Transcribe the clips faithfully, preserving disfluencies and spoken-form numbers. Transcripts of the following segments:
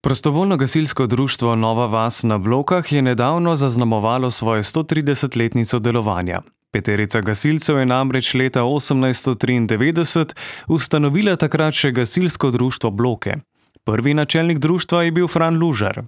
Prostovoljno gasilsko društvo Nova vas na Blokah je nedavno zaznamovalo svojo stotridesetletnico delovanja. Peterica gasilcev je namreč leta osemnajststo triindevetdeset ustanovila takrat še gasilsko društvo Bloke. Prvi načelnik društva je bil Fran Lužar.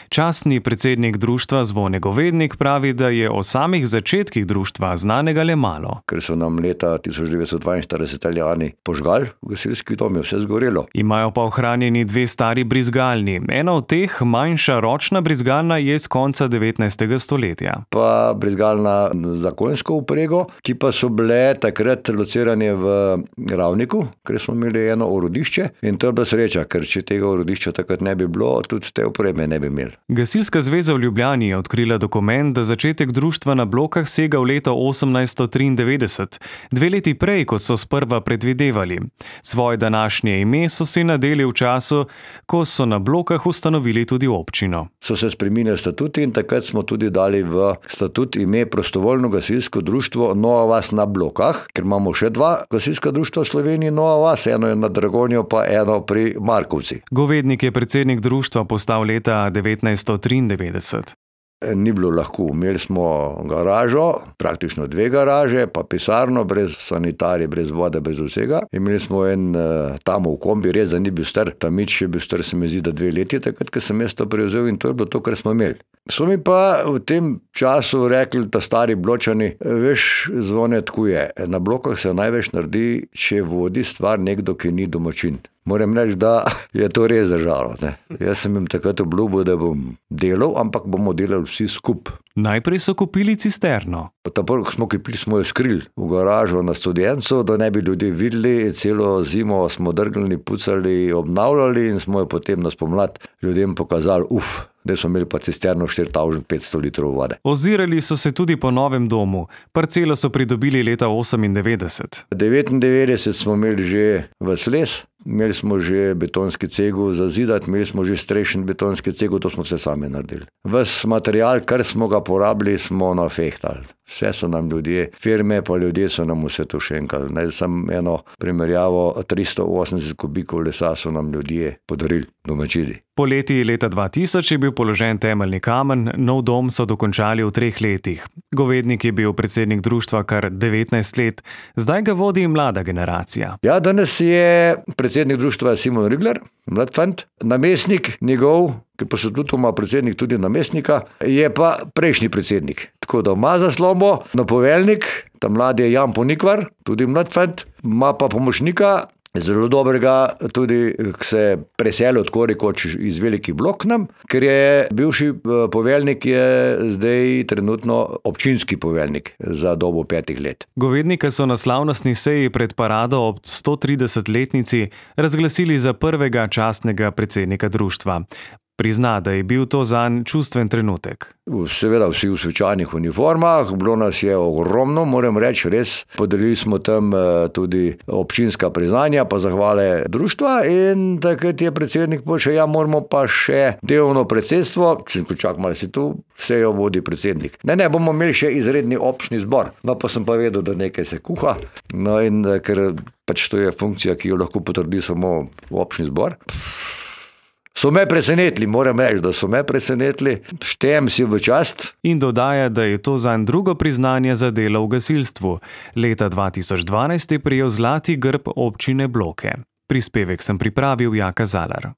Častni predsednik društva Zvone Govednik pravi, da je o samih začetkih društva znanega le malo. Ker so nam leta tisoč devetsto dvainštirideset Italijani požgali v gasilski dom, je vse zgorelo. Imajo pa ohranjeni dve stari brizgalni. Ena od teh, manjša ročna brizgalna, je z konca devetnajstega stoletja. Pa brizgalna za konjsko vprego, ki pa so bile takrat locirane v Ravniku, ker smo imeli eno orodišče in to je bila sreča, ker če tega orodišča takrat ne bi bilo, tudi te opreme ne bi imeli. Gasilska zveza v Ljubljani je odkrila dokument, da začetek društva na Blokah sega v leto osemnajststo triindevetdeset, dve leti prej, kot so sprva predvidevali. Svoje današnje ime so si nadeli v času, ko so na Blokah ustanovili tudi občino. So se spreminjali statuti in takrat smo tudi dali v statut ime Prostovoljno gasilsko društvo Nova vas na Blokah, ker imamo še dva gasilska društva v Sloveniji Nova vas, eno je na Dragonjo, pa eno pri Markovci. Govednik je predsednik društva postal leta devetnajststo triindevetdeset. Ni bilo lahko. Imeli smo garažo, praktično dve garaže, pa pisarno, brez sanitarij, brez vode, brez vsega. Imeli smo en tam v kombi, res da ni bil star, tamič je bil star, se mi zdi, da dve leti, takrat, ko sem jaz to prevzel in to je bilo to, kar smo imeli. So mi pa v tem času rekli, ta stari Bločani, veš, Zvone, tako je, na Blokah se največ naredi, če vodi stvar nekdo, ki ni domačin. Moram reči, da je to res držalo. Ne. Jaz sem jim takrat obljubil, da bom delal, ampak bomo delali vsi skup. Najprej so kupili cisterno. Tako smo kupili, smo jo skrili v garažo na Studencu, da ne bi ljudje videli. Celo zimo smo drgnili, pucali, obnavljali in smo jo potem na spomlad ljudem pokazali, uf, da smo imeli pa cisterno štiri tisoč petsto litrov vode. Ozirali so se tudi po novem domu. Parcelo so pridobili leta osemindevetdeset. devetindevetdeset smo imeli že ves les. Imeli smo že betonski cegel za zidati, imeli smo že strešen betonski cegel, to smo vse sami naredili. Ves material, kar smo ga porabili, smo nafehtali. Vse so nam ljudje, firme pa ljudje so nam vse to šenkali. Naj sem eno primerjavo, tristo osemdeset kubikov lesa so nam ljudje podarili, domačili. Poleti leta dva tisoč je bil položen temeljni kamen, nov dom so dokončali v treh letih. Govednik je bil predsednik društva kar devetnajst let, zdaj ga vodi mlada generacija. Ja, danes je predsednik društva Simon Rigler, mlad fant, namestnik njegov, ki pa so tudi ima predsednik tudi namestnika, je pa prejšnji predsednik. Tako da ima zaslombo, napoveljnik, ta mladi je Jan Ponikvar, tudi mlad fant, ima pa pomočnika, zelo dobrega, tudi se preselil tako rekoč iz Velikih Blok nam, ker je bivši poveljnik je zdaj trenutno občinski poveljnik za dobo petih let. Govednika so na slavnostni seji pred parado ob stotridesetletnici razglasili za prvega častnega predsednika društva. Prizna, da je bil to zanj čustven trenutek. Seveda vsi v svečanih uniformah, bilo nas je ogromno, moram reči, res. Podelili smo tam tudi občinska priznanja, pa zahvale društva in takrat je predsednik povedal, ja, moramo pa še delovno predsedstvo, če čak malo si tu, vse jo vodi predsednik. Ne, ne, bomo imeli še izredni občni zbor. No, pa sem pa vedel, da nekaj se kuha, no in ker pač to je funkcija, ki jo lahko potrdi samo občni zbor. So me presenetili, moram reči, da so me presenetili, štejem si v čast. In dodaja, da je to zanj drugo priznanje za delo v gasilstvu. Leta dva tisoč dvanajst je prejel zlati grb občine Bloke. Prispevek sem pripravil Jaka Zalar.